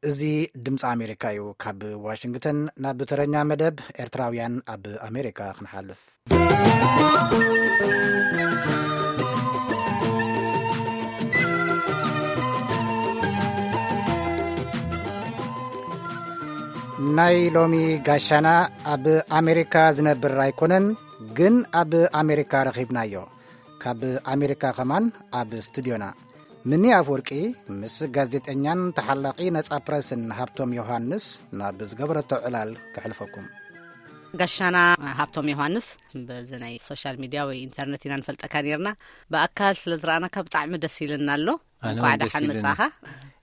እዚ ድምፂ ኣሜሪካ እዩ። ካብ ዋሽንግተን ናብ ተረኛ መደብ ኤርትራውያን ኣብ ኣሜሪካ ክንሓልፍ። ናይ ሎሚ ጋሻና ኣብ ኣሜሪካ ዝነብር ኣይኮነን፣ ግን ኣብ ኣሜሪካ ረኺብናዮ። ካብ ኣሜሪካ ከማን ኣብ ስቱድዮና ምኒ ኣፍወርቂ ምስ ጋዜጠኛን ተሓላቒ ነጻ ፕረስን ሃብቶም ዮሃንስ ናብ ዝገበረቶ ዕላል ከሕልፈኩም። ጋሻና ሃብቶም ዮሃንስ፣ በዚ ናይ ሶሻል ሚድያ ወይ ኢንተርነት ኢና ንፈልጠካ ነርና። ብኣካል ስለ ዝረኣናካ ብጣዕሚ ደስ ኢልና ኣሎ። ኣነ እንኳዕ እውን ደስ ደሓን ኢሉኒ። መጻኻ።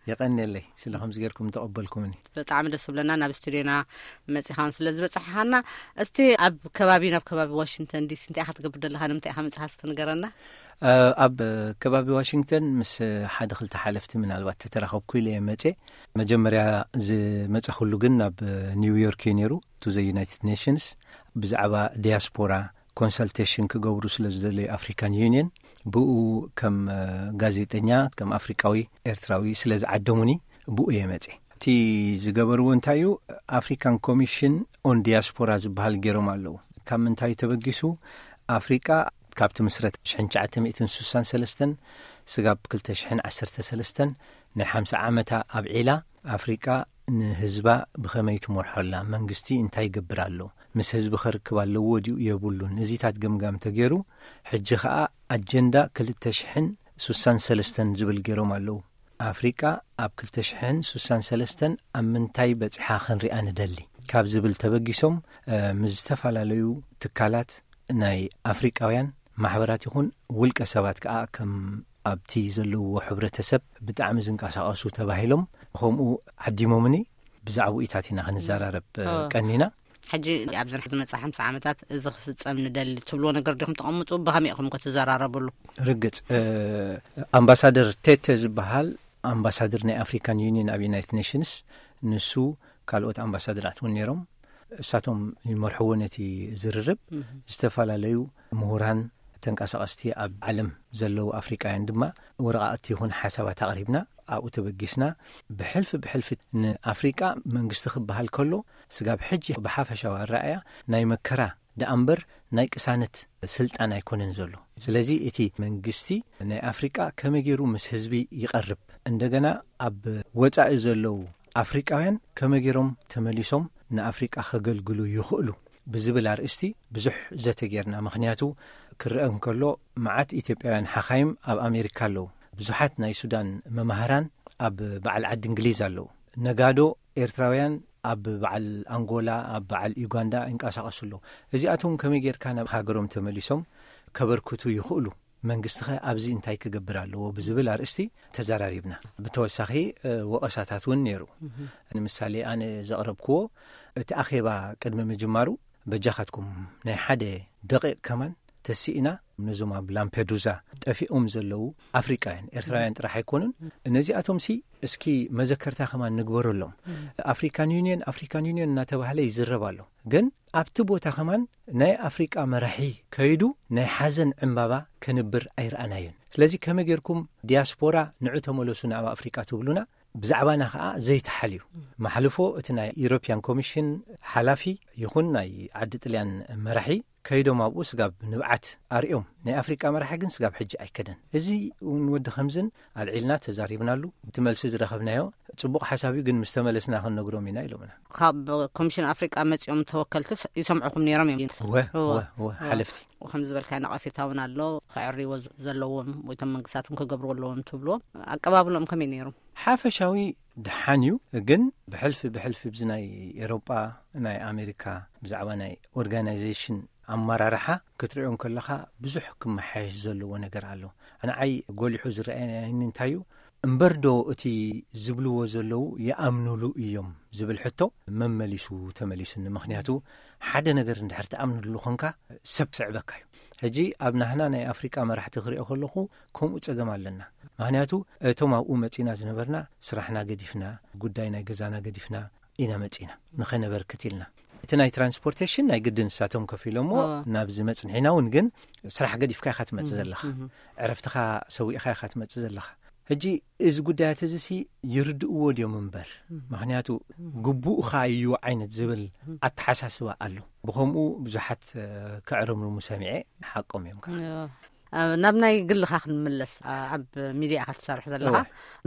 የቐንየለይ ስለ ከምዚ ጌርኩም ተቐበልኩምኒ። ብጣዕሚ ደስ ብለና ናብ ስቱድዮና መጺኻን ስለ ዝበጻሕኻና። እስቲ ኣብ ከባቢ፣ ናብ ከባቢ ዋሽንግተን ዲሲ እንታይ ኢኻ ትገብር ዘለኻ? ንምንታይ ኢኻ መጺኻ? እስቲ ንገረና። እ፣ ኣብ ከባቢ ዋሽንግተን ምስ ሓደ ክልተ ሓለፍቲ ምናልባት ተተራኸብኩ ኢለ እየ መጼ። መጀመርያ ዝመጸኹሉ ግን ናብ ኒውዮርክ እዩ ነይሩ፣ ቱ ዘ ዩናይትድ ኔሽንስ፣ ብዛዕባ ዲያስፖራ ኮንሰልቴሽን ክገብሩ ስለ ዝደለዩ ኣፍሪካን ዩኒየን፣ ብኡ ከም፣ እ፣ ጋዜጠኛ፣ ከም ኣፍሪቃዊ ኤርትራዊ ስለ ዝዓደሙኒ ብኡ እየ መጼ። እቲ ዝገበርዎ እንታይ እዩ? ኣፍሪካን ኮሚሽን ኦን ዲያስፖራ ዝበሃል ገይሮም ኣለዉ። ካብ ምንታይ ተበጊሱ? ኣፍሪቃ ካብ ትምስረት ሽሕን ትሽዓተ ሚእትን ስሳን ሰለስተን ስጋብ ክልተ ሽሕን ዓሰርተ ሰለስተን ናይ ሓምሳ ዓመታ ኣብዒላ፣ ኣፍሪቃ ንህዝባ ብኸመይ ትመርሖ ኣላ? መንግስቲ እንታይ ይገብር ኣሎ? ምስ ህዝቢ ከርክብ ኣለዎ ድዩ የብሉን? እዚታት ገምጋም ተገይሩ፣ ሕጂ ኸኣ ኣጀንዳ ክልተ ሽሕን ስሳን ሰለስተን ዝብል ገይሮም ኣለዉ። ኣፍሪቃ ኣብ ክልተ ሽሕን ስሳን ሰለስተን ኣብ ምንታይ በጺሓ ክንሪኣ ንደሊ? ካብ ዝብል ተበጊሶም፣ እ፣ ምስ ዝተፈላለዩ ትካላት ናይ ኣፍሪቃውያን ማሕበራት ይኹን ውልቀ ሰባት ከኣ ከም ኣብቲ ዘለውዎ ሕብረተሰብ ብጣዕሚ ዝንቀሳቐሱ ተባሂሎም ከምኡ ዓዲሞምኒ። ብዛዕባኡ ኢታት ኢና ክንዘራረብ፣ እ፣ ኦ። ቀኒና። ሕጂ ኣብዚ ዝመጽእ ሓምሳ ዓመታት እዚ ክፍጸም ንደሊ ትብልዎ ነገር ዲኹም ተቐምጡ? ብኸመይ ኢኹም ከ ትዘራረብሉ? ርግጽ፣ እ፣ ኣምባሳደር ቴቴ ዝበሃል ኣምባሳደር ናይ ኣፍሪካን ዩኒየን ኣብ ዩናይትድ ኔሽንስ፣ ንሱ ካልኦት ኣምባሳደራት እውን ነይሮም። እሳቶም ይመርሕዎ ነቲ ዝርርብ። እህ። ዝተፈላለዩ ምሁራን፣ ተንቀሳቐስቲ ኣብ ዓለም ዘለዉ ኣፍሪቃውያን ድማ ወረቓቕቲ ይኹን ሓሳባት ኣቕሪብና፣ ኣብኡ ተበጊስና። ብሕልፊ ብሕልፊ ንኣፍሪቃ መንግስቲ ክበሃል ከሎ፣ ስጋብ ሕጂ ብሓፈሻዊ ኣረኣእያ ናይ መከራ ደኣ እምበር ናይ ቅሳነት ስልጣን ኣይኮነን ዘሎ። ስለዚ እቲ መንግስቲ ናይ ኣፍሪቃ ከመይ ገይሩ ምስ ህዝቢ ይቐርብ፣ እንደገና ኣብ ወጻኢ ዘለዉ ኣፍሪቃውያን ከመይ ገይሮም ተመሊሶም ንኣፍሪቃ ከገልግሉ ይኽእሉ ብዝብል ኣርእስቲ ብዙሕ ዘተ ጌርና። ምኽንያቱ ክረአ እንከሎ መዓት ኢትዮጵያውያን ሓኻይም ኣብ ኣሜሪካ ኣለዉ። ብዙሓት ናይ ሱዳን መማህራን ኣብ በዓል ዓዲ እንግሊዝ ኣለዉ። ነጋዶ ኤርትራውያን ኣብ በዓል ኣንጎላ፣ ኣብ በዓል ዩጋንዳ ይንቀሳቐሱ ኣለዉ። እዚኣቶም ከመይ ጌርካ ናብ ሃገሮም ተመሊሶም ከበርክቱ ይኽእሉ? መንግስቲ ኸ ኣብዚ እንታይ ክገብር ኣለዎ ብዝብል ኣርእስቲ ተዘራሪብና። ብተወሳኺ፣ እ፣ ወቐሳታት እውን ነይሩ። እህ። ንምሳሌ ኣነ ዘቕረብክዎ፣ እቲ ኣኼባ ቅድሚ ምጅማሩ በጃኻትኩም ናይ ሓደ ደቂቕ ከማን ተስኢና ነዞም ኣብ ላምፔዱዛ ጠፊኦም ዘለዉ ኣፍሪቃውያን፣ ኤርትራውያን ጥራሕ ኣይኮኑን። ነዚኣቶም ሲ እስኪ መዘከርታ ከማን ንግበረሎም። ኣፍሪካን ዩኒየን፣ ኣፍሪካን ዩኒየን እናተባህለ ይዝረብ ኣሎ። ግን ኣብቲ ቦታ ከማን ናይ ኣፍሪቃ መራሒ ከይዱ ናይ ሓዘን ዕምባባ ከንብር ኣይረኣናዮን። ስለዚ ከመይ ጌርኩም ዲያስፖራ ንዑ ተመለሱ ናብ ኣፍሪቃ ትብሉና? ብዛዕባና ከኣ ዘይተሓልዩ። ማሕልፎ እቲ ናይ ኢሮፕያን ኮሚሽን ሓላፊ ይኹን ናይ ዓዲ ጥልያን መራሒ ከይዶም ኣብኡ ስጋብ ንብዓት ኣርእዮም። ናይ ኣፍሪቃ መራሒ ግን ስጋብ ሕጂ ኣይከደን። እዚ እውን ወዲ ከምዝን ኣልዒልና ተዛሪብናሉ። እቲ መልሲ ዝረኸብናዮ ጽቡቕ ሓሳብ እዩ፣ ግን ምስ ተመለስና ክንነግሮም ኢና ኢሎምና። ካብ ኮሚሽን ኣፍሪቃ መጺኦም ተወከልቲ ስ-፣ ይሰምዑኹም ነይሮም እዮም? እወ፣ እወ። እወ፣ እወ፣ እወ። ሓለፍቲ። ከም ዝበልካዮ ነቐፌታ እውን ኣሎ፣ ከዕርይዎ ዝ-፣ ዘለዎም ወይ እቶም መንግስታት እውን ክገብርዎ ኣለዎም ትብልዎም። ኣቀባብሎም ከመይ ነይሩ? ሓፈሻዊ ደሓን እዩ፣ ግን ብሕልፊ ብሕልፊ ብዚ ናይ ኤሮጳ፣ ናይ ኣሜሪካ ብዛዕባ ናይ ኦርጋናይዜሽን ኣመራርሓ ክትሪኦ እንከለኻ ብዙሕ ክመሓየሽ ዘለዎ ነገር ኣሎ። ንዓይ ጎሊሑ ዝረኣየኒ እንታይ እዩ? እምበር ዶ እቲ ዝብልዎ ዘለዉ ይኣምኑሉ እዮም ዝብል ሕቶ መመሊሱ ተመሊሱኒ። ምኽንያቱ ሓደ ነገር እንድሕር ትኣምኑሉ ኾንካ ሰብ ስዕበካ እዩ። ሕጂ ኣብ ናህና ናይ ኣፍሪቃ መራሕቲ ክሪኦ ከለኹ ከምኡ ጸገም ኣለና። ምኽንያቱ እቶም ኣብኡ መጺና ዝነበርና ስራሕና ገዲፍና፣ ጉዳይ ናይ ገዛና ገዲፍና ኢና መጺና፣ ንኸነበርክት ኢልና። እቲ ናይ ትራንስፖርቴሽን ናይ ግዲ ንሳቶም ከፊሎሞ፣ ኦ። ናብዚ መጽንሒና እውን ግን ስራሕ ገዲፍካ ኢኻ ትመጽእ እህ፣ ዘለኻ። እህ። ዕረፍትኻ ሰዊእኻ ኢኻ ትመጽእ ዘለኻ። ሕጂ እዚ ጉዳያት እዚ ሲ ይርድእዎ ድዮም እምበር፣ ምክንያቱ ግቡእኻ እዩ ዓይነት ዝብል ኣተሓሳስባ ኣሎ። ብኸምኡ ብዙሓት ክዕርምርሙ ሰሚዐ። ሓቆም እዮም ከዓ። ናብ ናይ ግልኻ ክንምለስ፣ ኣብ ሚድያ ኢኻ ትሰርሕ ዘለኻ።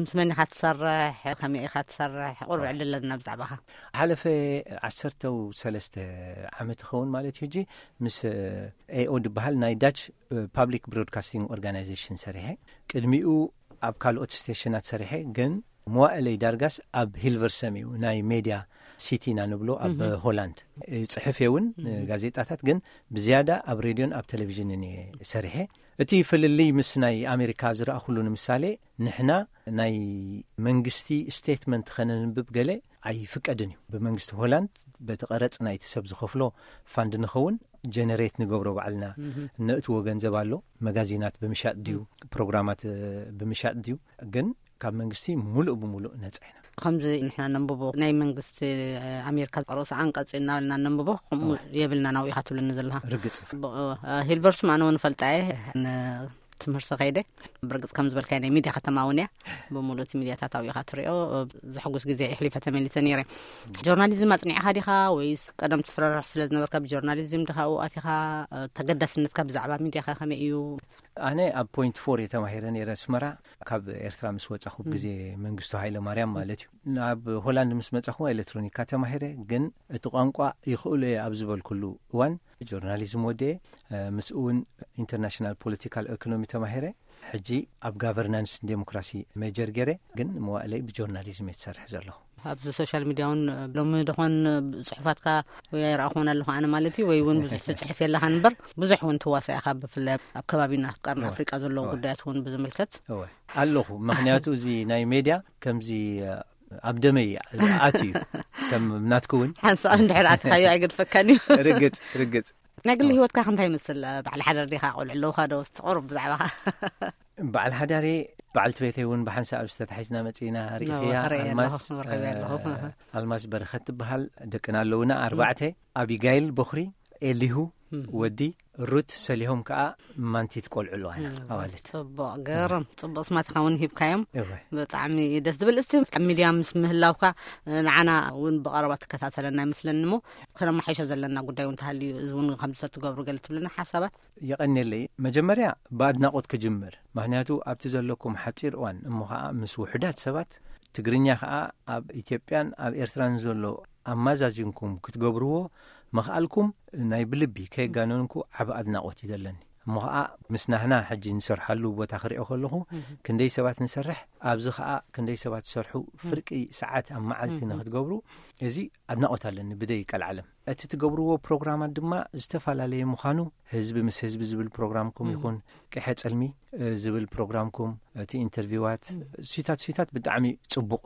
ምስ መን ኢኻ ትሰርሕ? ከመይ ኢኻ ትሰርሕ? ቁርብ ዕድለና ብዛዕባኻ። ሓለፈ ዓሰርተው ሰለስተ ዓመት ይኸውን ማለት እዩ። ሕጂ ምስ ኤኦ ዝበሃል ናይ ዳች ፓብሊክ ብሮድካስቲንግ ኦርጋናይዜሽን ሰሪሐ። ቅድሚኡ ኣብ ካልኦት ስቴሽናት ሰሪሐ፣ ግን መዋእለይ ዳርጋስ ኣብ ሂልቨርሰም እዩ፣ ናይ ሜድያ ሲቲ ኢና ንብሎ ኣብ ሆላንድ። ጽሕፍ እውን ጋዜጣታት፣ ግን ብዝያዳ ኣብ ሬድዮን ኣብ ቴሌቪዥንን እየ ሰሪሐ። እቲ ፍልልይ ምስ ናይ ኣሜሪካ ዝረኣኹሉ ንምሳሌ፣ ንሕና ናይ መንግስቲ ስቴትመንት ከነንብብ ገለ ኣይፍቀድን እዩ። ብመንግስቲ ሆላንድ በቲ ቀረጽ ናይቲ ሰብ ዝኸፍሎ ፋንድ ንኸውን ጀነሬት ንገብሮ ባዕልና። ነእትዎ ገንዘብ ኣሎ። መጋዚናት ብምሻጥ ድዩ፣ ፕሮግራማት ብምሻጥ ድዩ፣ ግን ካብ መንግስቲ ሙሉእ ብሙሉእ ነጻ ኢና። ከምዚ ንሕና ነንብቦ ናይ መንግስቲ ኣሜሪካ ርእሲ ኣንቀጽ እናበልና ነንብቦ፣ ከምኡ የብልና ናብኡ ኢኻ ትብለኒ ዘለኻ። ርግጽ። ሂልቨርሱም ኣነ እውን ፈልጣ እየ። ትምህርቲ ከይደ። ብርግጽ ከም ዝበልካዮ ናይ ሚድያ ከተማ እውን እያ። ብምሉእ እቲ ሚድያታት ኣብኡ ኢኻ ትሪኦ። ዘሕጉስ ግዜ የሕሊፈ ተመሊሰ ነይረ። ጆርናሊዝም ኣጽኒዕኻ ዲኻ ወይስ ቀደም ትስረርሕ ስለ ዝነበርካ ብጆርናሊዝም ዲኻ ኣብኡ ኣቲኻ? ተገዳስነትካ ብዛዕባ ሚድያኻ ከመይ እዩ? ኣነ ኣብ ፖይንት ፎር እየ ተማሂረ ነይረ ኣስመራ። ካብ ኤርትራ ምስ ወጻኹ፣ ግዜ መንግስቱ ሃይለ ማርያም ማለት እዩ። ናብ ሆላንድ ምስ መጻኹ ኤሌክትሮኒካ ተማሂረ፣ ግን እቲ ቋንቋ ይኽእሎ እየ ኣብ ዝበልኩሉ እዋን ጆርናሊዝም ወደ ምስኡ እውን ኢንተርናሽናል ፖለቲካል ኢኮኖሚ ተማሂረ። ሕጂ ኣብ ጋቨርናንስ ዴሞክራሲ ሜጀር ገይረ፣ ግን መዋእለይ ብጆርናሊዝም እየ ዝሰርሕ ዘለኹ። ኣብዚ ሶሻል ሚድያ እውን ሎሚ ደኾን ጽሑፋትካ ወይ ኣይረኣኹን ኣለኹ ኣነ ማለት እዩ፣ ወይ እውን ብዙሕ ትጽሕፍ የለኻን እምበር ብዙሕ እውን ትዋሳእ ኢኻ፣ ብፍላይ ኣብ ከባቢና ኣብ ቀርኒ ኣፍሪቃ ዘለዉ ጉዳያት እውን ብዝምልከት። እወ ኣለኹ። ምክንያቱ እዚ ናይ ሜድያ ከምዚ ኣብ ደመይ ኣትዩ እዩ። ከም ናትኩ እውን ሓንሳእ እንድሕር ኣትኻዮ ኣይገድፈካን እዩ። ርግጽ፣ ርግጽ። ናይ ግሊ ህይወትካ ከ እንታይ ይመስል? በዓል ሓዳር ዲኻ? ቆልዑ ኣለውኻ ዶ? እስቲ ቁሩብ ብዛዕባኻ። በዓል ሓዳሬ፣ በዓልቲ ቤተይ እውን ብሓንሳእ ኣብዚ ተታሒዝና መጺእና ርኢኽያ። ኣልማዝ፣ ኣልማዝ በረኸት ትበሃል። ደቅና ኣለውና ኣርባዕተ፣ ኣቢጋይል በኹሪ፣ ኤሊሁ ወዲ፣ ሩት ሰሊሆም ከኣ ማንቲት ቆልዑ ኣለዋና፣ ኣዋልድ። ጽቡቕ፣ ገርም፣ ጽቡቕ ስማትኻ እውን ሂብካዮም። እወ። ብጣዕሚ ደስ ዝብል። እስቲ ኣብ ሚድያ ምስ ምህላውካ ንዓና እውን ብቐረባ ትከታተለና ይመስለኒ እሞ፣ ከነማሓይሾ ዘለና ጉዳይ እውን ተሃልዩ፣ እዚ እውን ከምዚ ተትገብሩ ገለ ትብለና ሓሳባት? የቐንየለይ። መጀመርያ ብኣድናቖት ክጅምር፣ ምኽንያቱ ኣብቲ ዘለኩም ሓጺር እዋን እሞ ኸኣ ምስ ውሑዳት ሰባት፣ ትግርኛ ኸኣ ኣብ ኢትዮጵያን ኣብ ኤርትራን ዘሎ ኣማዛዚንኩም ክትገብርዎ ምኽኣልኩም ናይ ብልቢ ከየጋነንኩ ዓቢ ኣድናቖት እዩ ዘለኒ። እሞ ኸኣ ምስ ናህና ሕጂ ንሰርሓሉ ቦታ ክሪኦ ከለኹ፣ ክንደይ ሰባት ንሰርሕ፣ ኣብዚ ኸኣ ክንደይ ሰባት ዝሰርሑ፣ ፍርቂ ሰዓት ኣብ መዓልቲ ንኽትገብሩ፣ እዚ ኣድናቖት ኣለኒ ብደይ ቀልዓለም። እቲ ትገብርዎ ፕሮግራማት ድማ ዝተፈላለየ ምዃኑ፣ ህዝቢ ምስ ህዝቢ ዝብል ፕሮግራምኩም ይኹን፣ ቅሐ ጽልሚ ዝብል ፕሮግራምኩም፣ እቲ ኢንተርቪዋት፣ ስዊታት ስዊታት ብጣዕሚ ጽቡቕ።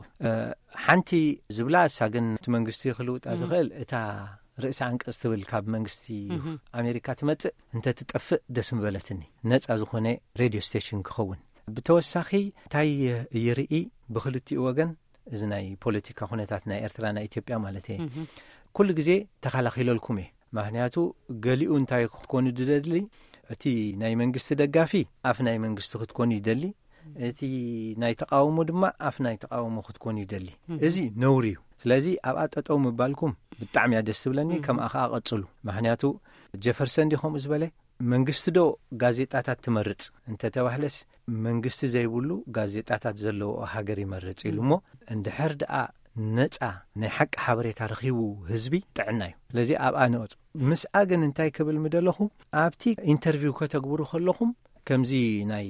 ሓንቲ ዝብላ እሳ ግን እቲ መንግስቲ ክልውጣ ዝኽእል፣ እታ ርእሲ ኣንቀጽ ትብል ካብ መንግስቲ ኣሜሪካ ትመጽእ እንተ ትጠፍእ ደስ ምበለትኒ፣ ነጻ ዝኾነ ሬድዮ ስቴሽን ክኸውን። ብተወሳኺ እንታይ ይርኢ ብክልቲኡ ወገን፣ እዚ ናይ ፖለቲካ ኩነታት ናይ ኤርትራ ናይ ኢትዮጵያ ማለት እየ፣ ኩሉ ግዜ ተኸላኺለልኩም እየ። ምክንያቱ ገሊኡ እንታይ ክትኮኑ ዝደሊ፣ እቲ ናይ መንግስቲ ደጋፊ ኣፍ ናይ መንግስቲ ክትኮኑ ይደሊ፣ እቲ ናይ ተቃውሞ ድማ ኣፍ ናይ ተቃውሞ ክትኮኑ ይደሊ። እዚ ነውሪ እዩ። ስለዚ ኣብኣ ጠጠው ምባልኩም ብጣዕሚ እያ ደስ ትብለኒ። ከምኣ ከዓ ቀጽሉ። ምክንያቱ ጀፈርሰን ዲ ከምኡ ዝበለ፣ መንግስቲ ዶ ጋዜጣታት ትመርጽ እንተተባህለስ፣ መንግስቲ ዘይብሉ ጋዜጣታት ዘለዎ ሃገር ይመርጽ ኢሉ እሞ፣ እንድሕር ደኣ ነጻ ናይ ሓቂ ሓበሬታ ረኺቡ ህዝቢ ጥዕና እዩ። ስለዚ ኣብኣ ንቐጹ። ምስኣ ግን እንታይ ክብል ምደለኹ፣ ኣብቲ ኢንተርቪው ከተግብሩ ከለኹም ከምዚ ናይ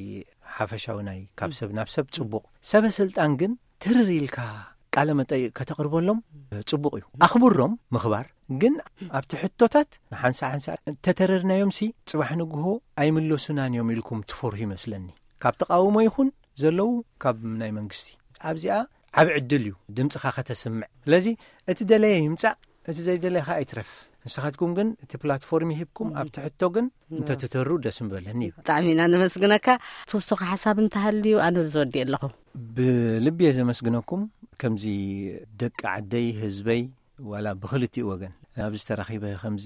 ሓፈሻዊ ናይ ካብ ሰብ ናብ ሰብ ጽቡቕ፣ ሰበ ስልጣን ግን ትርር ኢልካ ቃለ መጠይቕ ከተቕርበሎም ጽቡቕ እዩ። ኣኽብሮም ምኽባር ግን ኣብቲ ሕቶታት ንሓንሳ ሓንሳ እንተተረርናዮም ሲ ጽባሕ ንግሆ ኣይምለሱናን እዮም ኢልኩም ትፈርሁ ይመስለኒ። ካብ ተቃውሞ ይኹን ዘለዉ ካብ ናይ መንግስቲ። ኣብዚኣ ዓቢ ዕድል እዩ ድምጽኻ ከተስምዕ። ስለዚ እቲ ደለየ ይምጻእ፣ እቲ ዘይደለየ ኸኣ ይትረፍ። ንስኻትኩም ግን እቲ ፕላትፎርም ይሂብኩም፣ ኣብቲ ሕቶ ግን እንተትተሩ ደስ ምበለኒ እዩ። ብጣዕሚ ኢና ነመስግነካ። ትውስኾ ሓሳብ እንተሃልዩ ኣነ ዝወዲ ኣለኹ። ብልቢ እየ ዘመስግነኩም። ከምዚ ደቂ ዓደይ፣ ህዝበይ፣ ዋላ ብክልቲኡ ወገን ኣብዚ ተራኺበ ከምዚ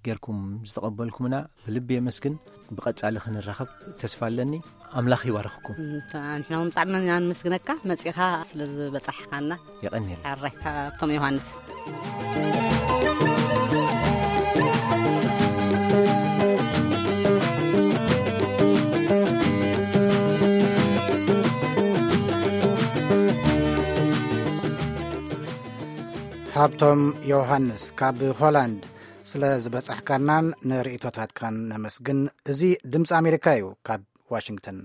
ጌርኩም ዝተቐበልኩምና ብልቢ የመስግን። ብቐጻሊ ክንራኸብ ተስፋ ኣለኒ። ኣምላኽ ይባርኽኩም። ንሕና እውን ብጣዕሚ ኢና ንመስግነካ መጺኻ ስለ ዝበጻሕካና። የቐንየልና። ሓራይ ካብቶም ዮሃንስ። ሃብቶም ዮሃንስ ካብ ሆላንድ፣ ስለ ዝበጻሕካናን ንርእይቶታትካን ነመስግን። እዚ ድምፂ ኣሜሪካ እዩ። ካብ ዋሽንግተን